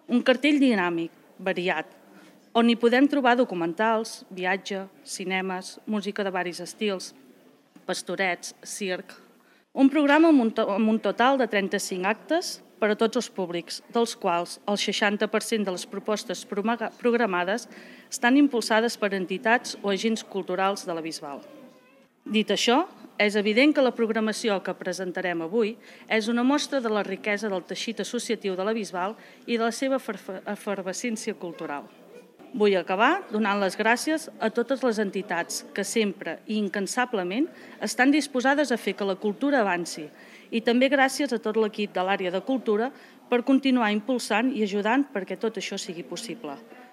Un cartell dinàmic, variat, on hi podem trobar documentals, viatge, cinemes, música de varis estils, pastorets, circ. Un programa amb un total de 35 actes per a tots els públics, dels quals el 60% de les propostes programades estan impulsades per entitats o agents culturals de la Bisbal. Dit això, és evident que la programació que presentarem avui és una mostra de la riquesa del teixit associatiu de la Bisbal i de la seva efervescència cultural. Vull acabar donant les gràcies a totes les entitats que sempre i incansablement estan disposades a fer que la cultura avanci i també gràcies a tot l'equip de l'àrea de cultura per continuar impulsant i ajudant perquè tot això sigui possible.